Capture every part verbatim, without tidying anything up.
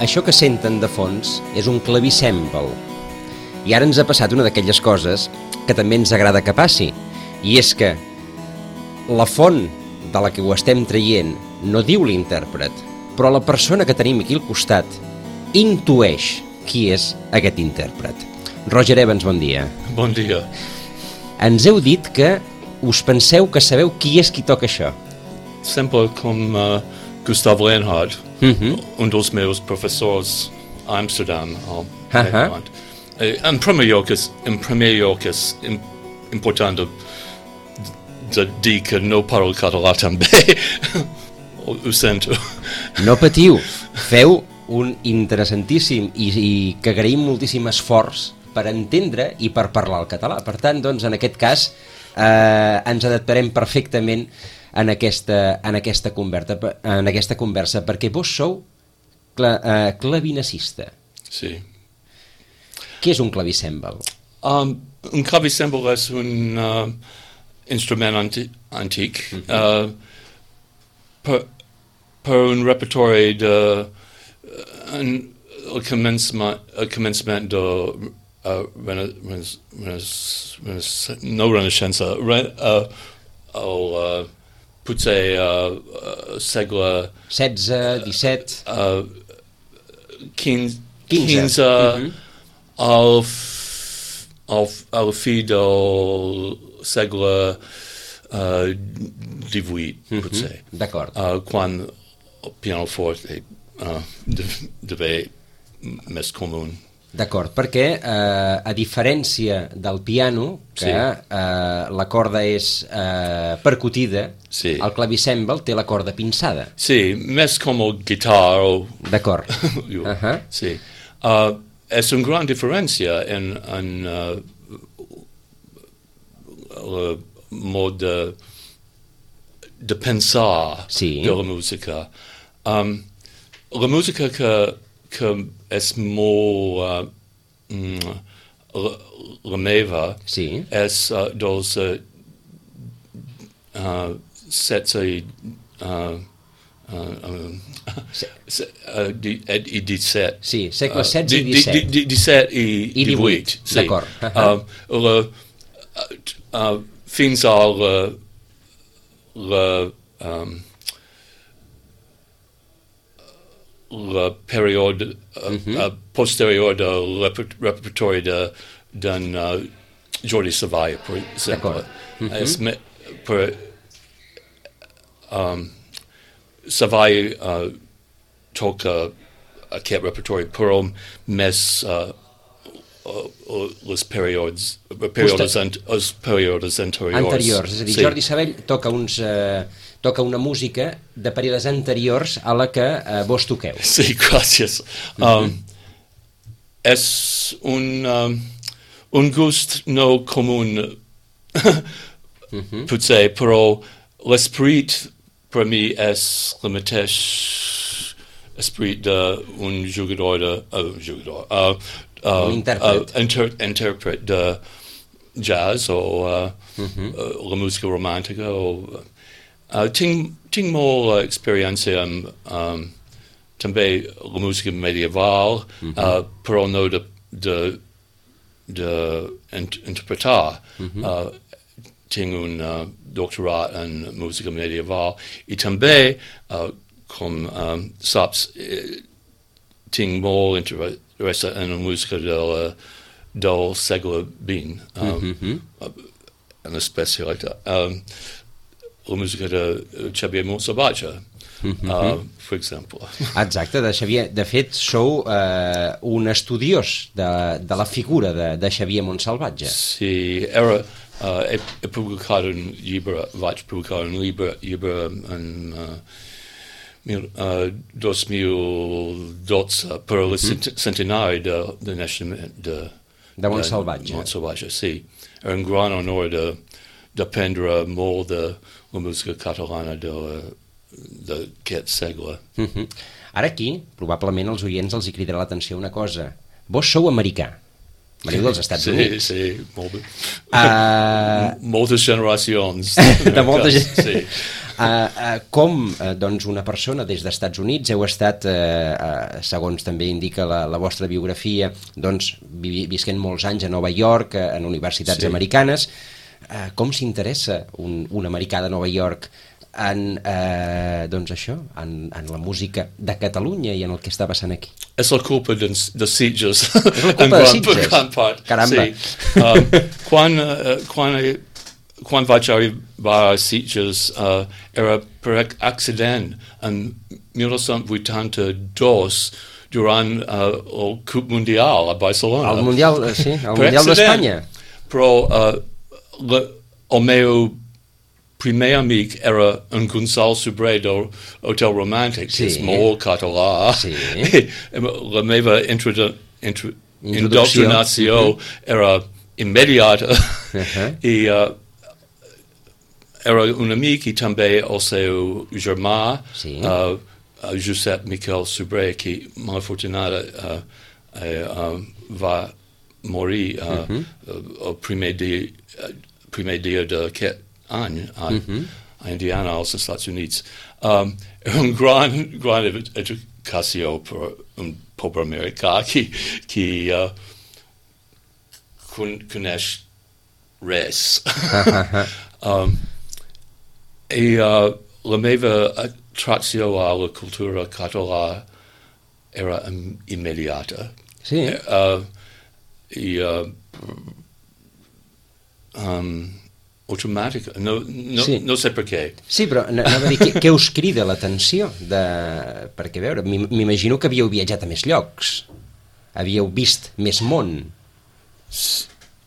això que senten de fons és un clavicèmbal. I ara ens ha passat una d'aquelles coses que també ens agrada que passi, i és que la font de la que ho estem traient no diu l'intèrpret, però la persona que tenim aquí al costat intueix qui és aquest intèrpret. Roger Evans, bon dia. Bon dia. Ens heu dit que us penseu que sabeu qui és qui toca això. Sempre com uh, Gustav Leonhardt, Mhm. un dels meus professors a Amsterdam, al Ahà. Nederland. Eh, En primer lloc és, en primer lloc és im- important de, de dir que no parlo català també. Ho ho sento. No patiu, feu un interessantíssim i, i que agraïm moltíssim esforç per entendre i per parlar el català. Per tant, doncs, en aquest cas, eh, ens adaptarem perfectament en aquesta, en aquesta, conversa, en aquesta conversa, perquè vos sou cla, eh, clavinacista. Sí. Què és un clavicèmbal? Um, un clavicèmbal és un uh, instrument anti antic uh, per, per un repertori de uh, un, el començament, el començament de uh, rena, rena, rena, rena, no renaixença, re, uh, el uh, potser uh, uh, segle setze, disset... uh, quinze, quinze. quinze Mhm. al, f- al, f- al fi del segle uh, divuit, Mhm. potser, D'acord. uh, quan el pianoforte uh, de- devé més comú. D'acord, perquè eh, a diferència del piano, que Sí. eh, la corda és eh, percutida, Sí. el clavicèmbal té la corda pinçada. Sí, més com el guitar o... D'acord. Jo, Ahà. sí. Uh, és una gran diferència en, en uh, el mod de, de pensar Sí. de la música. Um, la música que, que és molt uh, mm, la, la meva Sí. és uh, dels uh, uh, setze i uh, uh, um, Se- se- uh, di, ed, i disset. Sí, segle Uh, setze i di- di- disset. di- di- disset i, I divuit, divuit. Sí. d'acord. Ahà. Um, la, uh, uh, fins a la, la, um, la període uh, Mhm. uh, posterior de reper- repertori de d'en uh, Jordi Savall, per exemple. D'acord. Mhm. És me, per, um, Savall uh, toca aquest repertori, però més uh, uh, uh, les períodes, períodes, ant, els períodes anteriors. Anteriors, és a dir, Sí. Jordi Savall toca, uns, eh, toca una música de períodes anteriors a la que eh, vos toqueu. Sí, gràcies. Um, és un, um, un gust no comú, Mhm. potser, però l'esperit per mi és el mateix esperit d'un jugador de... Uh, jugador, uh, uh, Un intèrpret. Uh, inter, intèrpret de jazz o uh, Mhm. uh, la música romàntica. O, uh, tinc, tinc molta experiència amb um, també la música medieval, Mhm. uh, però no de, de, de int interpretar. Mhm. Uh, tinc un uh, doctorat en música medieval i també, uh, com um, saps, eh, tinc molt interès en la música del, del segle vint, um, Mhm. uh, en especialitat. Um, la música de Xavier Montsalvatge, Mhm. uh, per exemple. Exacte, de Xavier. De fet, sou eh, un estudiós de, de la figura de, de Xavier Montsalvatge. Sí, era, uh, he, he publicat un llibre, vaig publicar un llibre, llibre en uh, mil, uh, dos mil dotze per el cent centenari de, de naixement de, De Montsalvatge. Montsalvatge, sí. Era un gran honor de d'aprendre molt de la música catalana de d'aquest segle. Mhm. Ara aquí, probablement els oients els hi cridarà l'atenció una cosa. Vos sou americà. Veniu dels Estats sí, Units. Sí, molt bé. Uh, Moltes generacions. de molta gent. Sí. Uh, uh, com uh, doncs una persona des dels Estats Units heu estat, uh, uh, segons també indica la, la vostra biografia, doncs vi visquent molts anys a Nova York, uh, en universitats sí. americanes, uh, com s'interessa un, un americà de Nova York en, eh, doncs això, en, en la música de Catalunya i en el que està passant aquí? És la culpa de, de Sitges. És la culpa de Sitges? Caramba. Sí. Um, quan, uh, quan, quan vaig arribar a Sitges uh, era per accident en mil nou-cents vuitanta-dos durant uh, el Cup Mundial a Barcelona. El Mundial, sí, el Mundial d'Espanya. Però uh, la, el meu primer amic era en Gonçal Sobrer del Hotel Romàntic, sí. que és molt català. Sí. La meva introdu intro indoctrinació uh -huh. era immediata. Uh -huh. I uh, era un amic i també el seu germà, sí. uh, uh, Josep Miquel Sobrer, que malafortunada uh, uh, va morir uh, uh -huh. uh, el primer dia, uh, primer dia d'aquest any a, mm-hmm. a Indiana, als Estats Units. Um, un gran, gran educació per un pobre americà que, que uh, coneix res. um, I uh, la meva atracció a la cultura català era um, immediata. Sí. Uh, I uh, um, automàtica, no, no, sí. no sé per què. Sí, però anava a dir, què, què us crida l'atenció? Perquè, a veure, m'imagino que havíeu viatjat a més llocs, havíeu vist més món,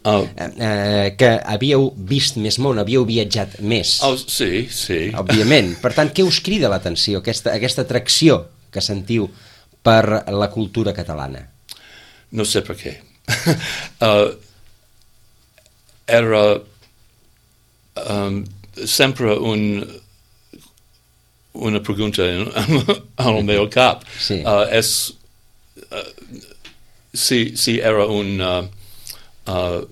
uh, eh, que havíeu vist més món, havíeu viatjat més. Oh, sí, sí. Òbviament. Per tant, què us crida l'atenció, aquesta, aquesta atracció que sentiu per la cultura catalana? No sé per què. uh, era... Um, sempre un, una pregunta en, en el meu cap. Sí. Uh, és, uh, si, si era un uh, uh,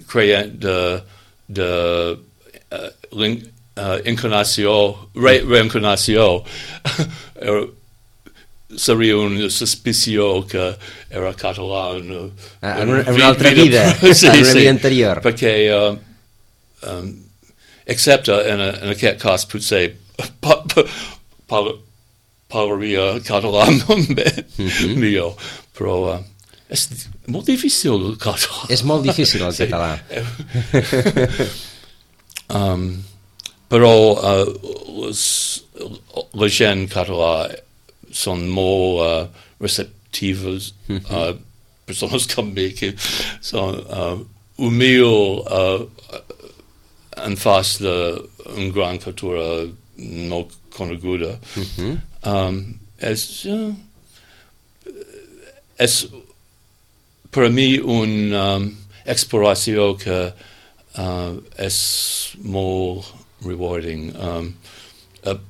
creient de, de uh, uh, encarnació, re, reencarnació, era, seria una suspició que era català en, ah, en, una, en una altra vida, sí, en una sí, vida anterior. Perquè uh, um, excepte en, en aquest cas potser pa, pa, pa, parlaria català mm-hmm. millor, però uh, és molt difícil el català. És molt difícil el sí. català. um, però uh, les, la gent català són molt uh, receptives, mm-hmm. uh, persones com mi que són uh, humil uh, en face d'una gran cultura no coneguda. Mm-hmm. um, és, uh, és per a mi una um, exploració que uh, és molt rewarding. Um, uh,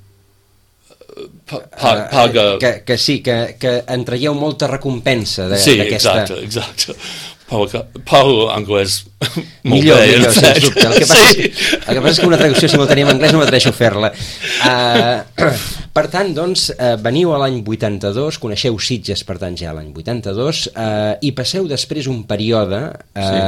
pa, pa, paga... Uh, que, que sí, que, que en traieu molta recompensa d'aquesta... Sí, exacte, exacte. Parlo anglès molt millor, bé. Millor, sens dubte. El que, passa sí. és, el que passa és que una traducció simultània en anglès no m'atreixo a fer-la. Uh, per tant, doncs, uh, veniu a l'any vuitanta-dos, coneixeu Sitges, per tant, ja l'any vuitanta-dos, uh, i passeu després un període uh, sí.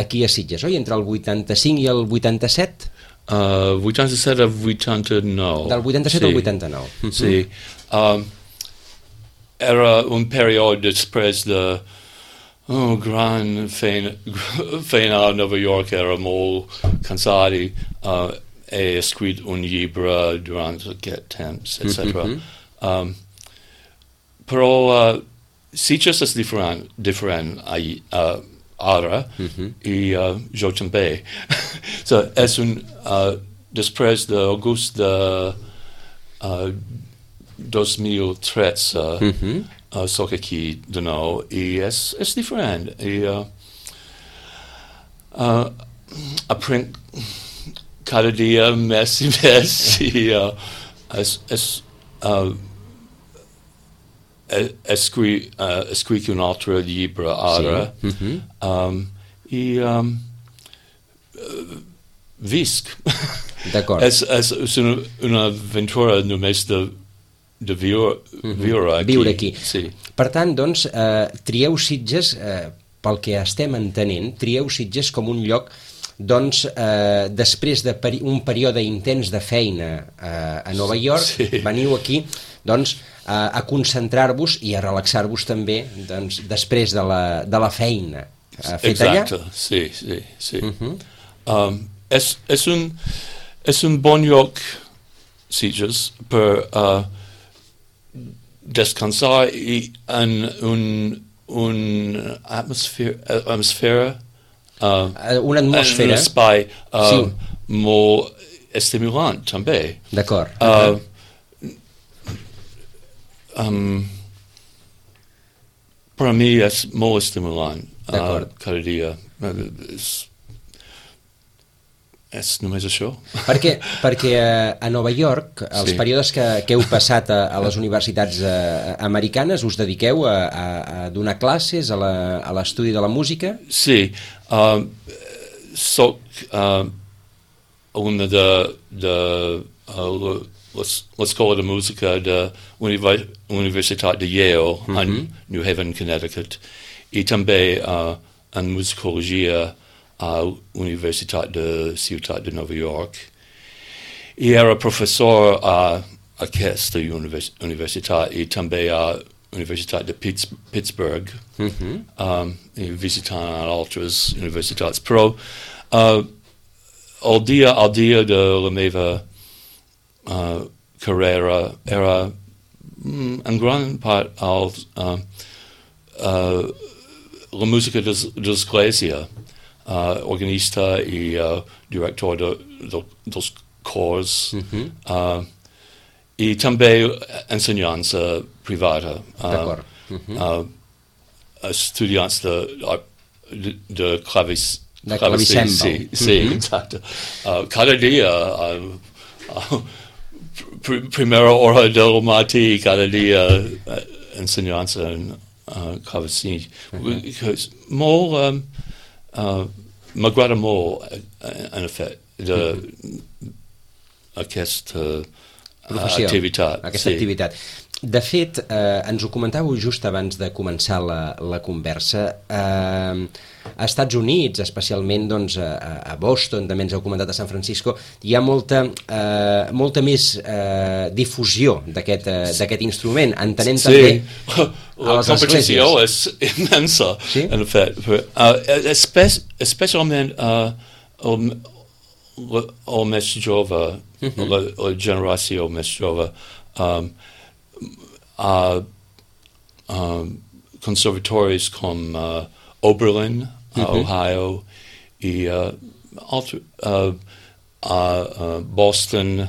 aquí a Sitges, oi? Entre el vuitanta-cinc i el vuitanta-set? Uh, vuitanta-set a vuitanta-nou. Del vuitanta-set sí. al vuitanta-nou. Sí. Um, era un període després de... Oh, gran feina, feina a Nova York, era molt cansat i uh, he escrit un llibre durant aquest temps, et cetera. Mm-hmm. um, però uh, Sitges és diferent, diferent a, uh, ara, mm-hmm. i uh, jo també. So, és un, uh, després d'agost de uh, dos mil tretze, mm-hmm. Uh, soc aquí de nou i és, és diferent i uh, uh, aprenc cada dia més i més i uh, es, es, uh, escri, uh, escric un altre llibre ara sí. mm-hmm. um, i um, uh, visc D'acord. És, és, és una, una aventura només de, de viure, viure aquí. Viure aquí. Sí. Per tant, doncs, eh, trieu Sitges, eh, pel que estem entenent, trieu Sitges com un lloc, doncs, eh, després d'un peri període intens de feina eh, a Nova York, sí. veniu aquí, doncs, eh, a concentrar-vos i a relaxar-vos també, doncs, després de la, de la feina eh, feta allà. Exacte, sí, sí, sí. Uh -huh. um, és, és, un, és un bon lloc, Sitges, per uh, descansar i en un, un atmosfera, atmosfera uh, una atmosfera. un espai uh, sí. molt estimulant, també. D'acord. Uh, um, per a mi és molt estimulant uh, cada dia. És, és només això. Perquè, perquè a Nova York, els sí. períodes que, que heu passat a, a les universitats eh, americanes, us dediqueu a, a, a donar classes a l'estudi de la música? Sí. Uh, soc uh, una de, de uh, l'escola de música de la Universitat de Yale, mm -hmm. en New Haven, Connecticut, i també uh, en musicologia a l'Universitat de Ciutat de Nova York. I era professor a aquesta univers universitat i també a l'Universitat de Pitts Pittsburgh, mm-hmm. um, i visitant altres universitats. Però uh, el dia al dia de la meva uh, carrera era mm, en gran part al, uh, uh, la música de l'església. Uh, organista i uh, director de, de, dels cors, mm-hmm. uh, i també ensenyança privada. Uh, mm-hmm. uh, estudiants de, de, de clavis, de clavicèmbal. Sí, sí, mm-hmm. exacte. Uh, cada dia, uh, uh, pr primera hora del matí, cada dia uh, ensenyança en uh, clavicèmbal. Mm-hmm. Molt... Um, Uh, m'agrada molt, en efecte, d'aquesta uh, activitat. Aquesta sí. activitat. De fet, eh, ens ho comentàveu just abans de començar la, la conversa, eh, a Estats Units, especialment doncs, a, a Boston, també ens heu comentat a San Francisco, hi ha molta, eh, molta més eh, difusió d'aquest eh, instrument, entenent sí. també la competició és immensa, sí? En efecte. Uh, espe especialment uh, el, el més jove, mm-hmm. la, la generació més jove, um, a uh, conservatoris com uh, Oberlin, uh, mm-hmm. Ohio, i uh, altre, uh, uh, uh, Boston,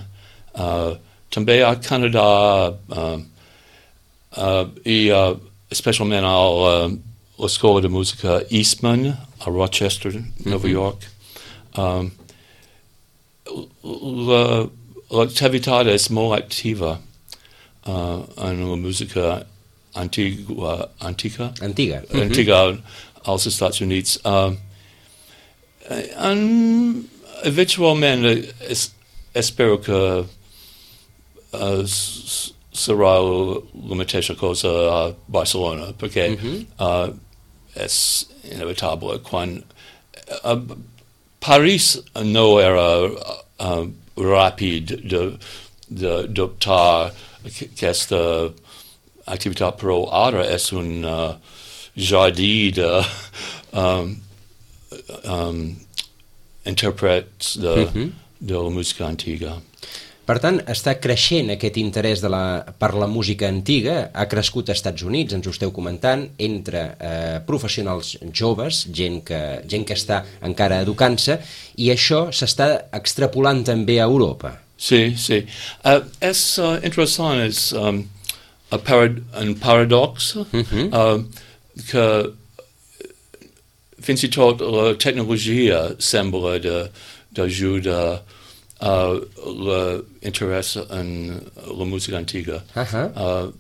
uh, també a Canadà, uh, uh, i uh, especialment a uh, l'escola de música Eastman, a Rochester, mm-hmm. Nova York. Um, l'activitat és molt activa. Uh, en la música antigua, antica, antiga, antiga mm-hmm. als Estats Units. Uh, en, eventualment es, espero que uh, serà la mateixa cosa a Barcelona, perquè mm-hmm. uh, és inevitable quan uh, París no era uh, ràpid de d'adoptar aquesta activitat, però ara és un uh, jardí de um, um, intèrprets de, mm-hmm. de la música antiga. Per tant, està creixent aquest interès de la, per la música antiga, ha crescut als Estats Units, ens ho esteu comentant, entre eh, professionals joves, gent que, gent que està encara educant-se, i això s'està extrapolant també a Europa. Sí, sí. Uh, és uh, interessant, és um, a parad un paradox, mm-hmm. uh, que fins i tot la tecnologia sembla d'ajudar uh, l'interès en la música antiga. Uh-huh. uh,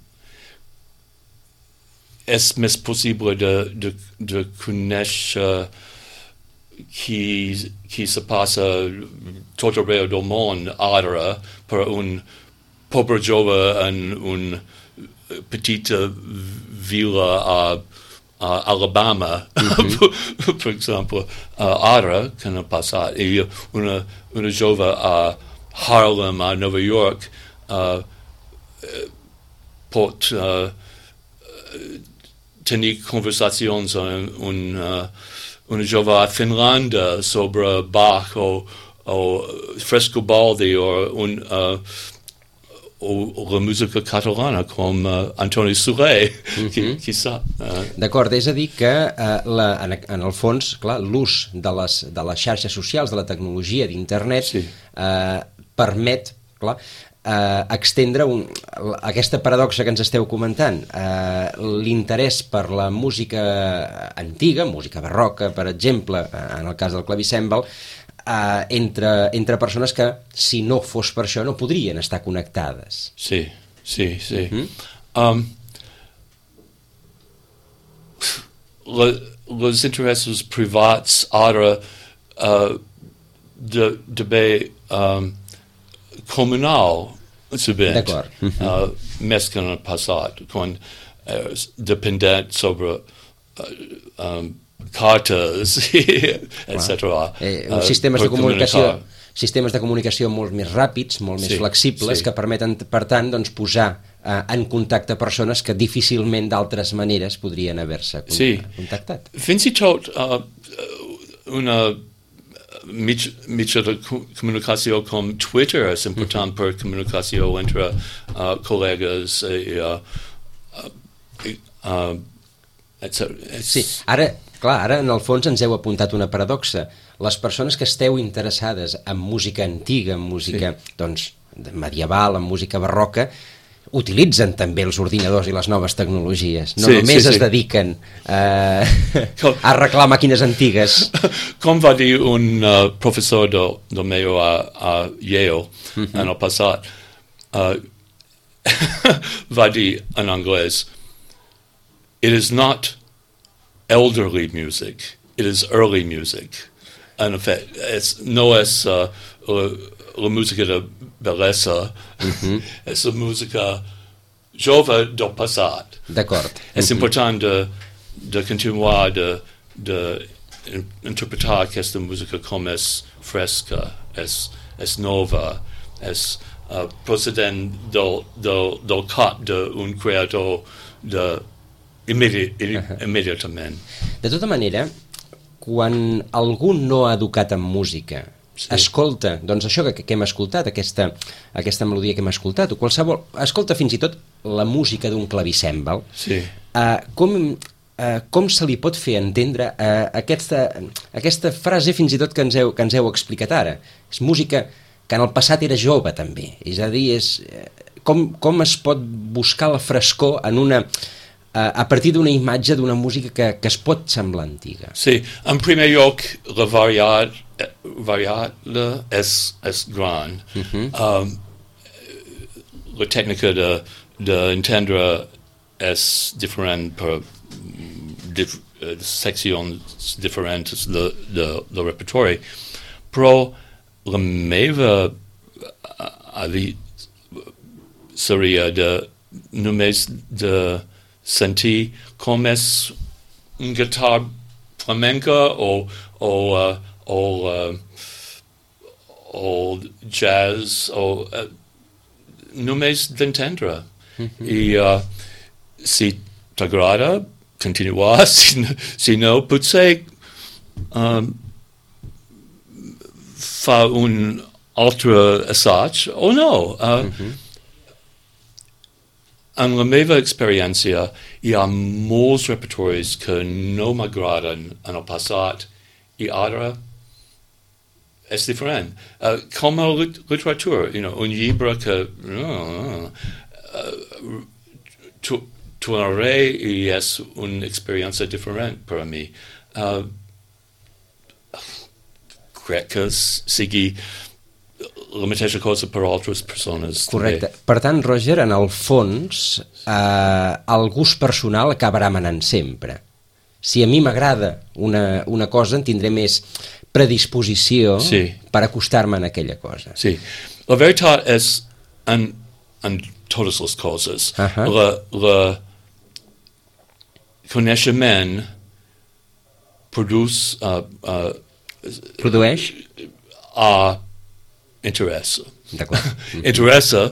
és més possible de, de, de conèixer qui, qui se passa tot arreu del món ara per un pobre jove en una petita vila a, a Alabama, mm-hmm. per exemple, uh, ara que no ha passat, i una, una jove a Harlem, a Nova York, uh, pot uh, tenir conversacions amb un, uh, una jove a Finlàndia sobre Bach o, o Frescobaldi o, un, uh, o la música catalana com uh, Antoni Soler, mm-hmm. qui, qui sap. Uh. D'acord, és a dir que uh, la, en, en el fons, clar, l'ús de les, de les xarxes socials, de la tecnologia, d'internet, sí. uh, permet, clar, Uh, extendre un, aquesta paradoxa que ens esteu comentant, uh, l'interès per la música antiga, música barroca, per exemple, uh, en el cas del clavicèmbal, uh, entre, entre persones que, si no fos per això, no podrien estar connectades. Sí, sí, sí. Mm-hmm. Um, le, les interessos privats ara uh, de, de bé um, comunal subent, uh, més que en el passat, quan uh, dependent sobre uh, um, cartes, et cetera. Eh, uh, sistemes de comunicació, sistemes de comunicació molt més ràpids, molt més sí, flexibles, sí. que permeten, per tant, doncs, posar uh, en contacte persones que difícilment d'altres maneres podrien haver-se sí. contactat. Fins i tot uh, una Mig, mitja de comunicació com Twitter és important mm-hmm. per comunicació entre uh, col·legues i, uh, uh, uh, et cetera. Sí, ara, clar, ara en el fons ens heu apuntat una paradoxa. Les persones que esteu interessades en música antiga, en música sí. doncs, medieval, en música barroca, utilitzen també els ordinadors i les noves tecnologies. No sí, només sí, es sí. dediquen uh, com, a arreglar màquines antigues. Com va dir un uh, professor del, del meu a, a Yale mm-hmm. en el passat, uh, va dir en anglès, it is not elderly music, it is early music. En efecte, és, no és uh, la, la música de bellesa, mm-hmm. és la música jove del passat. D'acord. És mm-hmm. important de, de continuar de, de interpretar aquesta música com és fresca, és, és nova, és uh, procedent del, del, del cap d'un creador de immedi- uh-huh. immediatament. De tota manera, quan algú no ha educat en música, sí. escolta, doncs això que, que hem escoltat, aquesta, aquesta melodia que hem escoltat, o qualsevol, escolta fins i tot la música d'un clavicèmbal, sí. uh, com, uh, com se li pot fer entendre uh, aquesta, aquesta frase fins i tot que ens, heu, que ens heu explicat ara? És música que en el passat era jove també, és a dir, és, com, com es pot buscar la frescor en una... a partir d'una imatge d'una música que, que es pot semblar antiga. Sí, en primer lloc, la variat, variable és, és gran. Uh-huh. Um, la tècnica de, d'entendre és diferent per dif, seccions diferents de, de, de repertori, però la meva avi seria de només de sentir com és un guitar flamenca o, o, uh, o, uh, o jazz o uh, només d'entendre. Mm-hmm. I uh, si t'agrada, continuar, si, si no, potser um, fa un altre assaig o no. Uh, mm-hmm. En la meva experiència, hi ha molts repertoris que no m'agraden en el passat i ara és diferent. Uh, com a lit- literatura, you know, un llibre que uh, uh, tu, tornaré i és una experiència diferent per a mi. Uh, crec que sigui la mateixa cosa per altres persones. Correcte. També. Per tant, Roger, en el fons, eh, el gust personal acabarà manant sempre. si a mi m'agrada una, una cosa, en tindré més predisposició sí. per acostar-me a aquella cosa. Sí. La veritat és, en, en totes les coses, uh-huh. la, la coneixement produce, uh, uh, produeix a interessa. D'acord. Interessa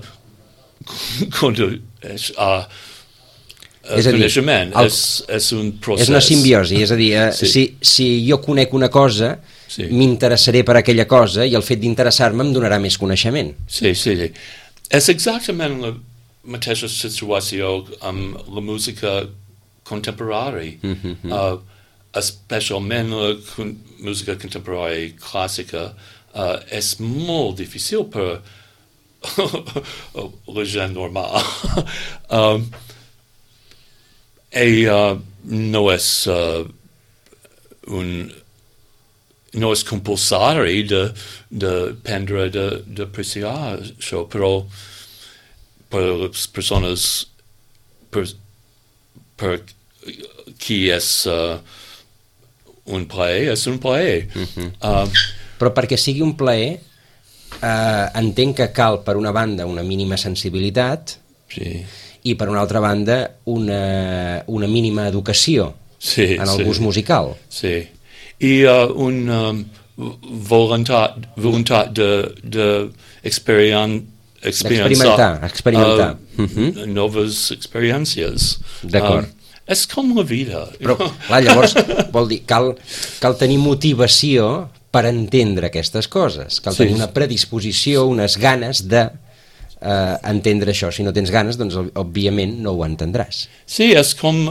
condueix a és a dir, coneixement. El, és, és un procés. És una simbiosi, és a dir, eh, sí. si, si jo conec una cosa, sí. m'interessaré per aquella cosa i el fet d'interessar-me em donarà més coneixement. Sí, sí, sí. És exactament la mateixa situació amb la música contemporària, mm-hmm. uh, especialment la con- música contemporària clàssica, uh, és molt difícil per la gent normal. um, i uh, no és uh, un no és compulsari de, de prendre de, de apreciar això, però per les persones per, per qui és uh, un plaer, és un plaer. Mm-hmm. Um, però perquè sigui un plaer eh, entenc que cal per una banda una mínima sensibilitat sí. i per una altra banda una, una mínima educació sí, en el sí. gust musical. Sí. I uh, un um, voluntat, voluntat de, de experien, experimentar, experimentar. Uh, uh-huh. noves experiències. D'acord. Um, és com la vida. Però, clar, llavors, vol dir, cal, cal tenir motivació per entendre aquestes coses. Cal sí. tenir una predisposició, unes ganes de eh, entendre això. Si no tens ganes, doncs, òbviament, no ho entendràs. Sí, és com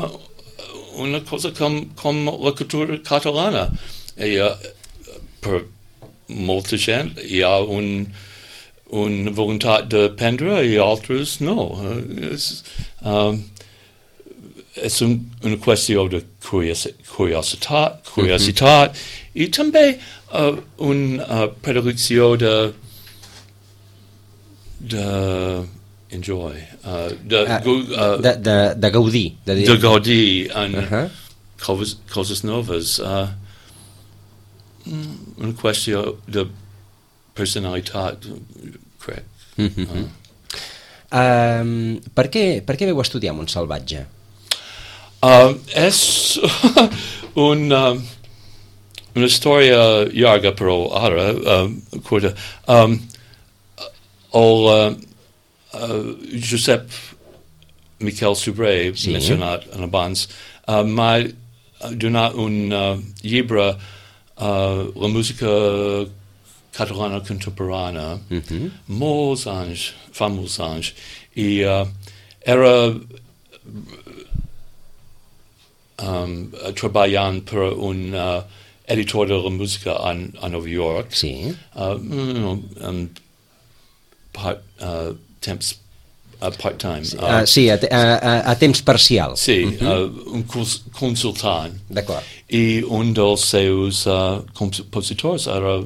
una cosa com, com la cultura catalana. I, uh, per molta gent hi ha un, un voluntat de prendre i altres no. Uh, és, um, és un, una qüestió de curiositat, curiositat mm-hmm. i també uh, una uh, predilecció de de enjoy, uh, de, uh, uh, de, de, de gaudir. De, de gaudir en uh-huh. coses, coses noves. Uh, una qüestió de personalitat, crec. Mm-hmm. Uh. Um, per, què, per què veu estudiar Montsalvatge? Uh, és un, uh, una història llarga, però ara, uh, curta. Um, el uh, uh, Josep Miquel Sobrer, sí. mencionat en abans, uh, m'ha donat un uh, llibre, uh, la música catalana contemporània, mm-hmm. molts anys, fa molts anys, i uh, era Um, treballant per un uh, editor de la música a, a Nova York. Sí. Uh, um, um, part, uh, temps, uh, part-time. Sí, uh, uh, sí a, a, a temps parcial. Sí, uh-huh. uh, un cons consultant. D'acord. I un dels seus uh, compositors era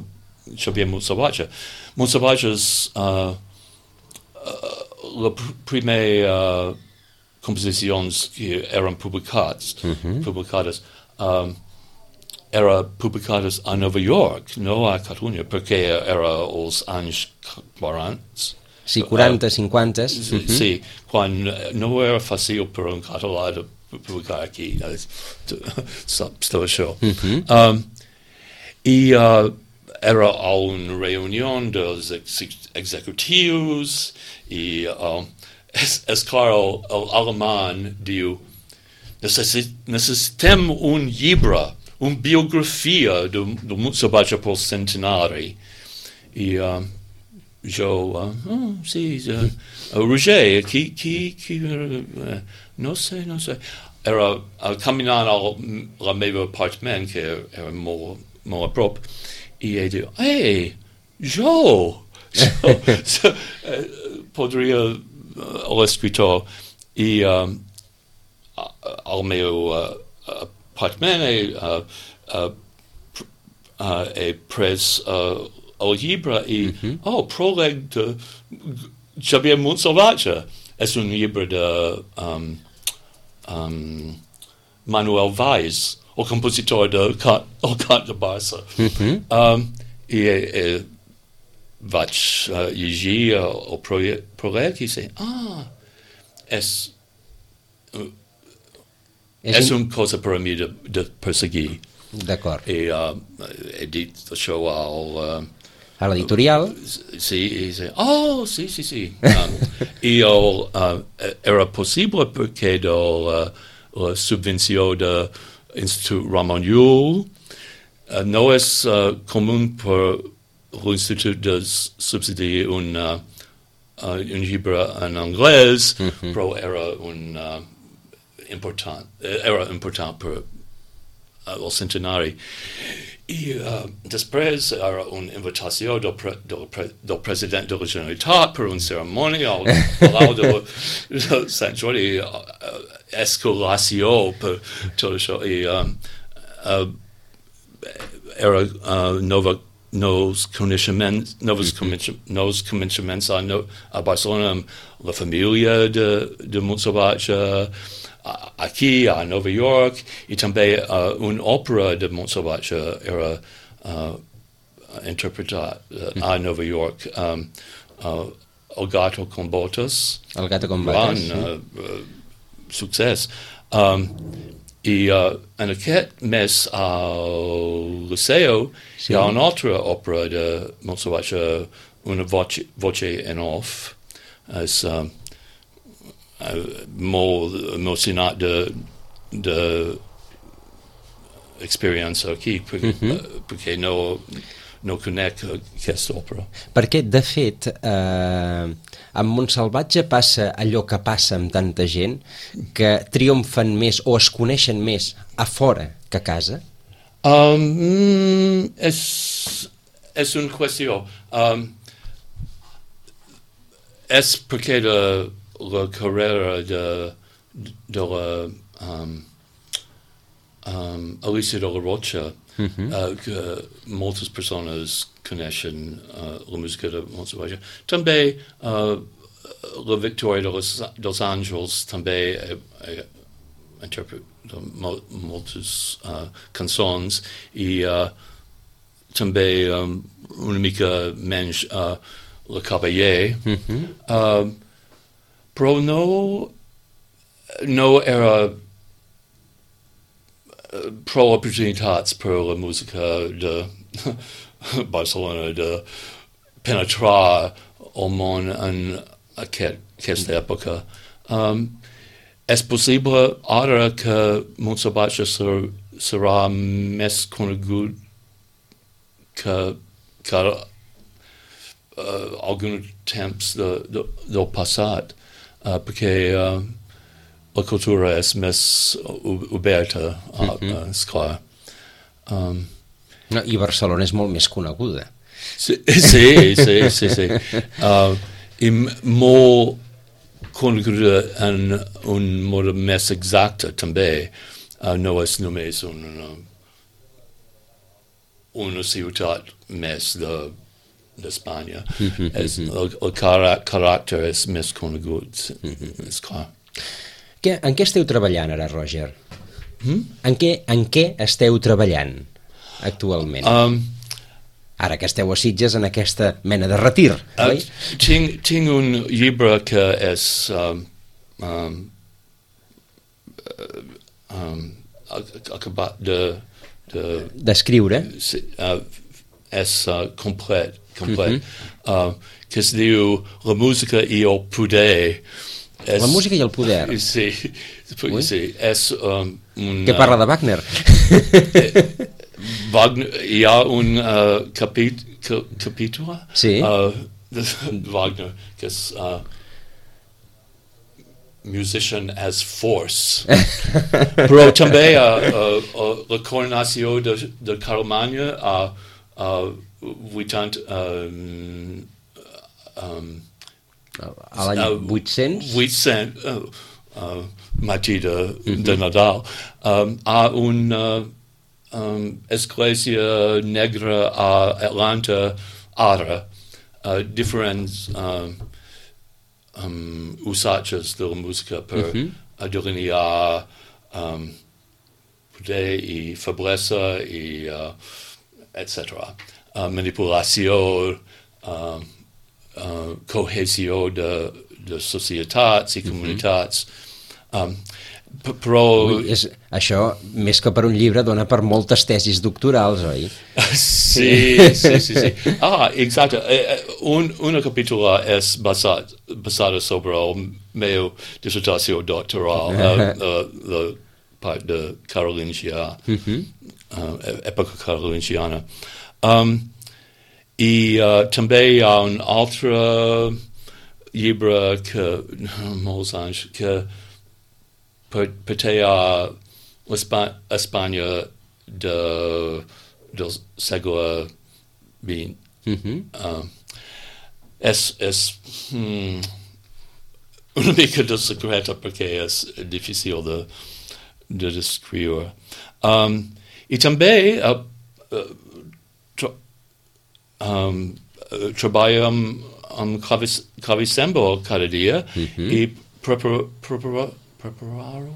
Xavier Montsalvatge. Montsalvatge és uh, uh, la pr primer uh, composicions que eren publicats, mm-hmm. publicades, um, era publicades a Nova York, no a Catalunya, perquè era els anys quaranta. Sí, quaranta, uh, cinquanta. Sí, mm-hmm. sí, quan no era fàcil per un català de publicar aquí, saps tot això. Mm-hmm. um, I uh, era a una reunió dels ex executius i um, És, és clar, el, el alemany diu necessit, necessitem un llibre, una biografia de, de Montsalvatge pel centenari. I uh, jo, uh, oh, sí, uh, uh, Roger, qui, qui, qui uh, no sé, no sé. Era uh, caminant al la meva apartament, que era, era molt, molt a prop, i ell diu, hey, jo! So, so, uh, podria l'escriptor i um, al meu uh, apartament uh, uh, uh, he pres uh, el llibre i mm-hmm. oh, pròleg de Xavier Montsalvatge és un llibre de um, um, Manuel Valls, el compositor de Cant, el Cant de Barça. Mhm. Um, I eh, vaig uh, llegir el, el projecte i sé, ah, és, uh, És, és in- una cosa per a mi de, de perseguir. D'acord. I uh, he dit això al... Uh, A l'editorial, sí, i sé, oh, sí, sí, sí. Um, I el, uh, era possible perquè de la, la subvenció de l'Institut Ramon Llull uh, no és uh, comú per l'Institut de subsidiar un, uh, uh, un llibre en anglès, Mhm. però era un uh, important, era important per uh, el centenari. I uh, després era una invitació del, pre, del, pre, del president de la Generalitat per una cerimònia al Palau de, de Sant Jordi, uh, escolació per tot això. I um, uh, era uh, nova, nous coneixements, noves mm-hmm. nous coneixements a, no, a Barcelona amb la família de, de Montsalvatge, aquí a Nova York, i també uh, una òpera de Montsalvatge era uh, interpretada uh, a Nova York, um, uh, El gato con botas, el gato con botas. gran uh, uh, succés. Um, I uh, en aquest mes al Liceu Sí. hi ha una altra òpera de Montsalvatge, una voce, voce en off. És um, uh, molt emocionat de, de experiència aquí, perquè, Mhm. uh, perquè no, no conec aquesta òpera. Perquè, de fet, eh, amb Montsalvatge passa allò que passa amb tanta gent, que triomfen més o es coneixen més a fora que a casa? Um, mm, és, és una qüestió. Um, és perquè de, la carrera de, de la um, um, Alicia de la Rocha, Mhm. uh, que moltes persones coneixen uh, la música de Montsalvatge. També uh, la Victòria de los, dels Àngels també eh, eh, interpreta mo, moltes uh, cançons i uh, també um, una mica menys uh, la Caballé. Mhm. Uh, però no, no era uh, prou oportunitats per la música de Barcelona de penetrar el món en aquest, aquesta època. Um, és possible ara que Montsalvatge ser, serà més conegut que, que uh, alguns temps de, de, del passat, uh, perquè uh, la cultura és més oberta, uh, Mhm. uh, esclar. Um, No, i Barcelona és molt més coneguda. sí, sí, sí, sí, sí. Uh, I m- molt coneguda en un mode més exacte també. Uh, no és només una, una ciutat més de d'Espanya. Mhm, És, mhm. el, el cara, caràcter és més conegut, és clar. Què, en què esteu treballant ara, Roger? Hmm? En què, en què esteu treballant actualment? Um, Ara que esteu a Sitges en aquesta mena de retir, uh, oi? tinc, tinc un llibre que és um, um, uh, um, ac- acabat de, de D'escriure. sí, uh, és uh, complet, complet uh, que es diu La música i el poder. És, La música i el poder. Sí, Ui. sí, és um, un... Que parla de Wagner. Wagner, hi ha un uh, capit, ca, capítol Sí. uh, de Wagner que és uh, Musician as Force. Però també uh, uh, uh, la coronació de, de Carlemanya a uh, vuitanta... Um, um, A l'any uh, vuit-cents? vuit-cents, uh, uh, matí de, de Nadal, um, a una um, església negra a Atlanta ara, uh, diferents um, um, usatges de la música per Mhm. uh, delinear um, poder i feblesa i uh, et cetera. Uh, manipulació, uh, uh, cohesió de, de societats i comunitats. Um, p- però... Ui, és, això, més que per un llibre, dona per moltes tesis doctorals, oi? Sí, sí, sí, sí. Ah, exacte. Un, una capítola és basat, basada sobre el meu dissertació doctoral, uh, uh, la part de carolingià, uh-huh. uh, època carolingiana. Um, I uh, també hi ha un altre llibre que, molts anys, que pertany a l'Espanya de, del segle vint. Uh-huh. Uh, és és hmm, una mica de secreta perquè és difícil de, de descriure. Um, I també uh, uh, tra- um, uh, treballo amb, amb clavis, clavicembal cada dia uh-huh. i prepara, prepara, prepararo.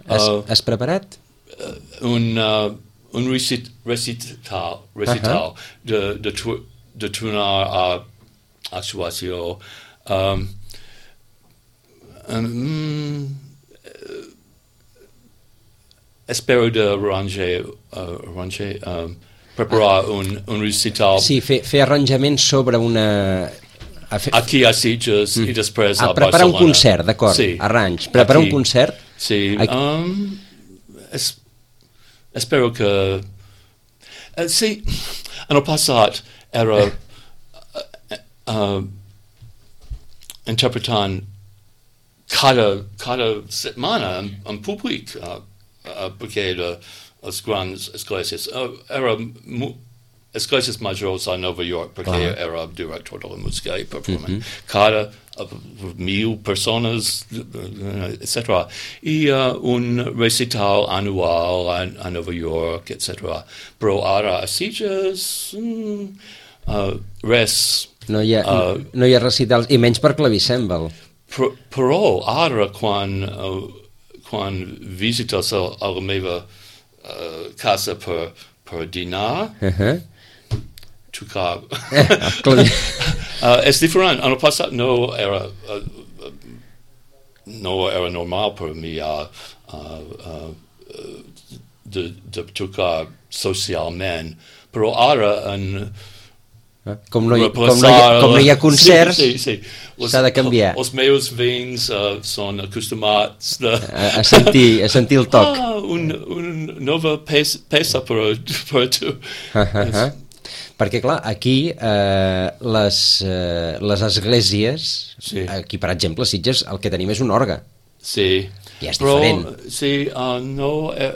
Has, uh, has preparat? Uh, un, uh, un recit, recital, recital uh-huh. de, de, tu, de tornar a actuació. Um, um, uh, espero de arranger, uh, arranger um, preparar ah. un, un recital. Sí, fer, fer arranjaments sobre una... A fer... Aquí a Sitges mm. i després a, a preparar Barcelona. Un concert, d'acord, sí. arranys. Preparar aquí, un concert? Sí, um, es, espero que... Uh, sí, en el passat era uh, uh, interpretant cada, cada setmana en, en públic uh, uh, perquè de les grans esglésies. Uh, era mu, esglésies majors a Nova York perquè uh-huh. era director de la música i performant. Uh-huh. Cada uh, mil persones, et cetera. I uh, un recital anual a, a Nova York, et cetera. Però ara a Sitges, mm, uh, res. No hi, ha, uh, no hi ha recitals, i menys per clavicèmbal. Però, però ara quan, uh, quan visites a, a la meva uh, casa per, per dinar, uh-huh. tocar... uh, és diferent. En el passat no era, uh, no era normal per mi uh, uh, uh, de, de tocar socialment, però ara en... Com no, hi, com, no hi, com no hi ha concerts, sí, sí, sí. s'ha de canviar. Els meus veïns uh, són acostumats de... a, a, sentir, a sentir el toc. Ah, una un nova peça, peça per, per tu. Uh -huh. Perquè, clar, aquí eh, les, eh, les esglésies, sí. Aquí, per exemple, a Sitges, el que tenim és un orgue. Sí. Ja és diferent. Però, sí, uh, no, eh,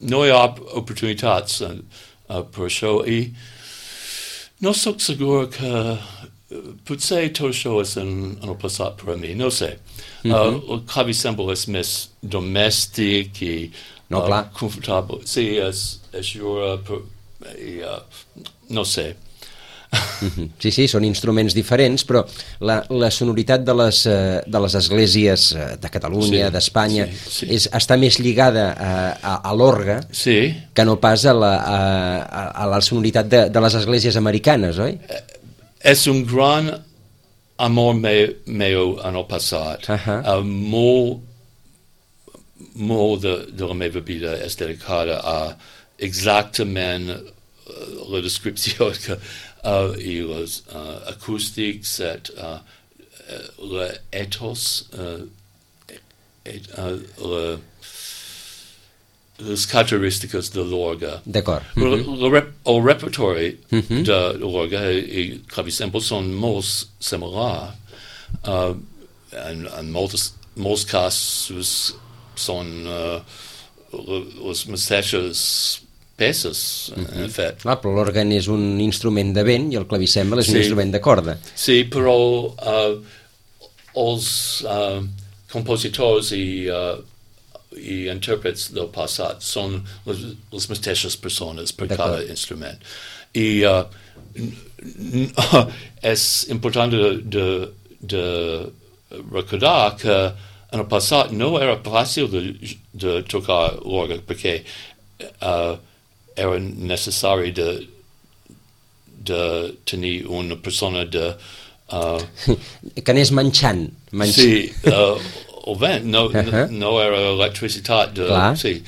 no hi ha oportunitats uh, uh, per això. I no soc segur que potser tot això és en, en el passat per a mi, no sé. Mm -hmm. uh, el clavicèmbal és més domèstic i no, uh, clar. confortable. Sí, és, és jura, per, i, uh, no sé. Sí, sí, són instruments diferents, però la, la sonoritat de les, de les esglésies de Catalunya, sí, d'Espanya, sí, sí. És, està més lligada a, a, a l'orgue sí. que no pas a la, a, a la sonoritat de, de les esglésies americanes, oi? És un gran amor me, meu en el passat. Uh -huh. uh, molt, molt de, de la meva vida és dedicada a exactament uh, la descripció que Uh, i els uh, acústics, et, uh, uh, l'ethos, uh, et, uh, la, les característiques de l'orgue. D'acord. Mm -hmm. rep, el repertori mm -hmm. de l'orgue i clavicèmbal són molt similars. Uh, en, en molts, molts casos són uh, les mateixes peces, mm-hmm. en fet. Clar, però l'òrgan és un instrument de vent i el clavicèmbal és sí. un instrument de corda. Sí, però uh, els uh, compositors i, uh, i intèrprets del passat són les, les mateixes persones per cada instrument. I uh, és important de, de, de recordar que en el passat no era fàcil de, de tocar l'orgue perquè uh, era necessari de, de tenir una persona de... Uh, que anés manxant. manxant. Sí, uh, el vent, no, uh-huh. no, no era electricitat. De, sí.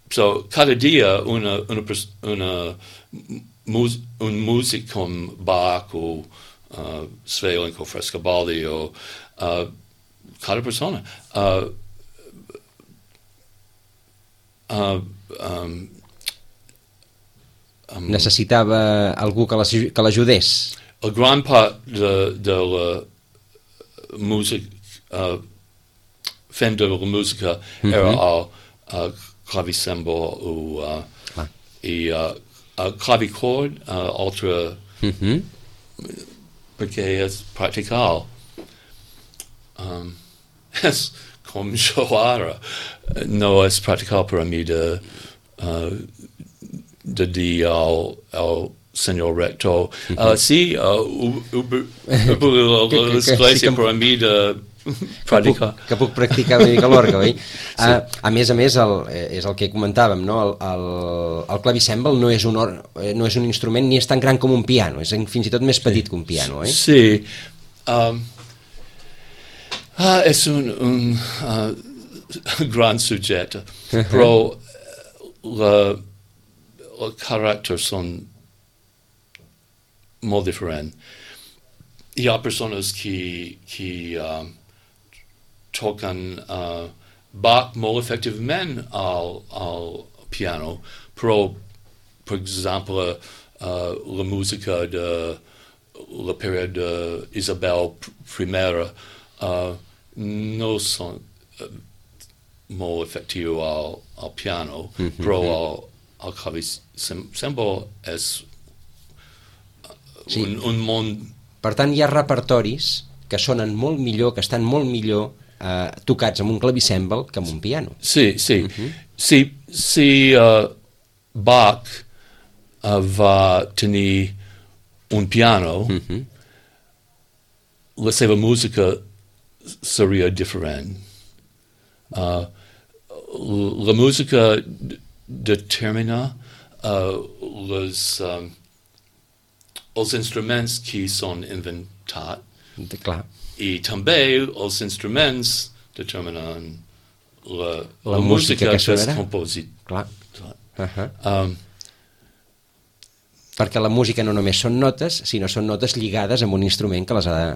So, cada dia una, una, una, mus, un músic com Bach o uh, Sweelinck o Frescobaldi o uh, cada persona uh, uh, um, um, necessitava algú que l'ajudés. El gran part de, de la música uh, fent de la música mm-hmm. era el uh, clavicembal o uh, ah. i uh, el clavichord, uh, altre mm-hmm. perquè és practical. Um, és com jo ara. No és practical per a mi de, uh, de dir al, al senyor rector, uh, sí, l'església per a mi de practicar. Que puc, que puc practicar una mica l'orgue, oi? Sí. Uh, a més a més, el, és el que comentàvem, no? El, el, el clavicèmbal no és, un or, no és un instrument ni és tan gran com un piano, és fins i tot més petit sí. que un piano, oi? Sí. Um, ah, és un, un uh, gran subjecte, uh-huh. però la, el caràcter són molt diferent. Hi ha persones que, que uh, toquen uh, Bach molt efectivament al, al piano, però, per exemple, uh, la música de la període d'Isabel I uh, no són uh, molt efectius al, al piano, mm-hmm. però el, el clavicèmbal és sí. un, un món. Per tant, hi ha repertoris que sonen molt millor, que estan molt millor eh, tocats amb un clavicèmbal que amb un piano. Sí, sí. Uh-huh. Si, si uh, Bach uh, va tenir un piano, uh-huh. la seva música seria diferent. Uh, la música determina uh, les... Um, els instruments que són inventats de, clar. I també els instruments determinen la, la, la música, música que és composit. Clar. Uh-huh. Um, perquè la música no només són notes, sinó són notes lligades amb un instrument que les ha de,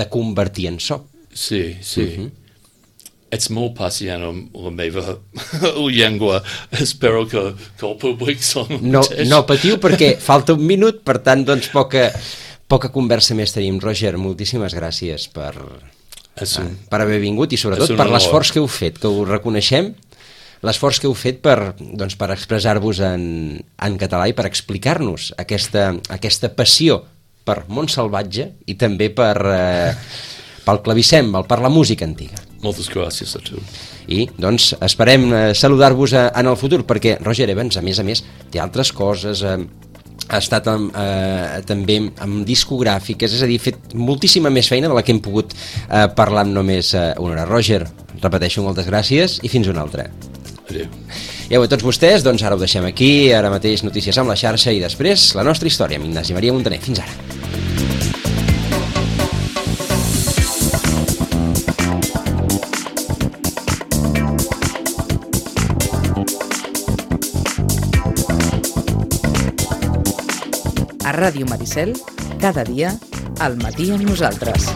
de convertir en so. Sí, sí. Uh-huh. Ets molt pacient amb la meva llengua. Espero que, que el públic són no, no patiu perquè falta un minut, per tant, doncs poca, poca conversa més tenim. Roger, moltíssimes gràcies per, un, per haver vingut i sobretot per l'esforç que heu fet, que ho reconeixem, l'esforç que heu fet per, doncs, per expressar-vos en, en català i per explicar-nos aquesta, aquesta passió per Montsalvatge i també per... Eh, pel clavicèmbal, per la música antiga. Moltes gràcies a tu. I, doncs, esperem eh, saludar-vos a, en el futur, perquè Roger Evans, a més a més, té altres coses, eh, ha estat amb, eh, també amb discogràfiques, és a dir, ha fet moltíssima més feina de la que hem pogut eh, parlar amb només eh, una hora. Roger, repeteixo, moltes gràcies i fins una altra. Adéu. I a tots vostès, doncs ara ho deixem aquí, ara mateix notícies amb la xarxa i després la nostra història amb Ignasi Maria Montaner. Fins ara. A Ràdio Maricel, cada dia, al matí amb nosaltres.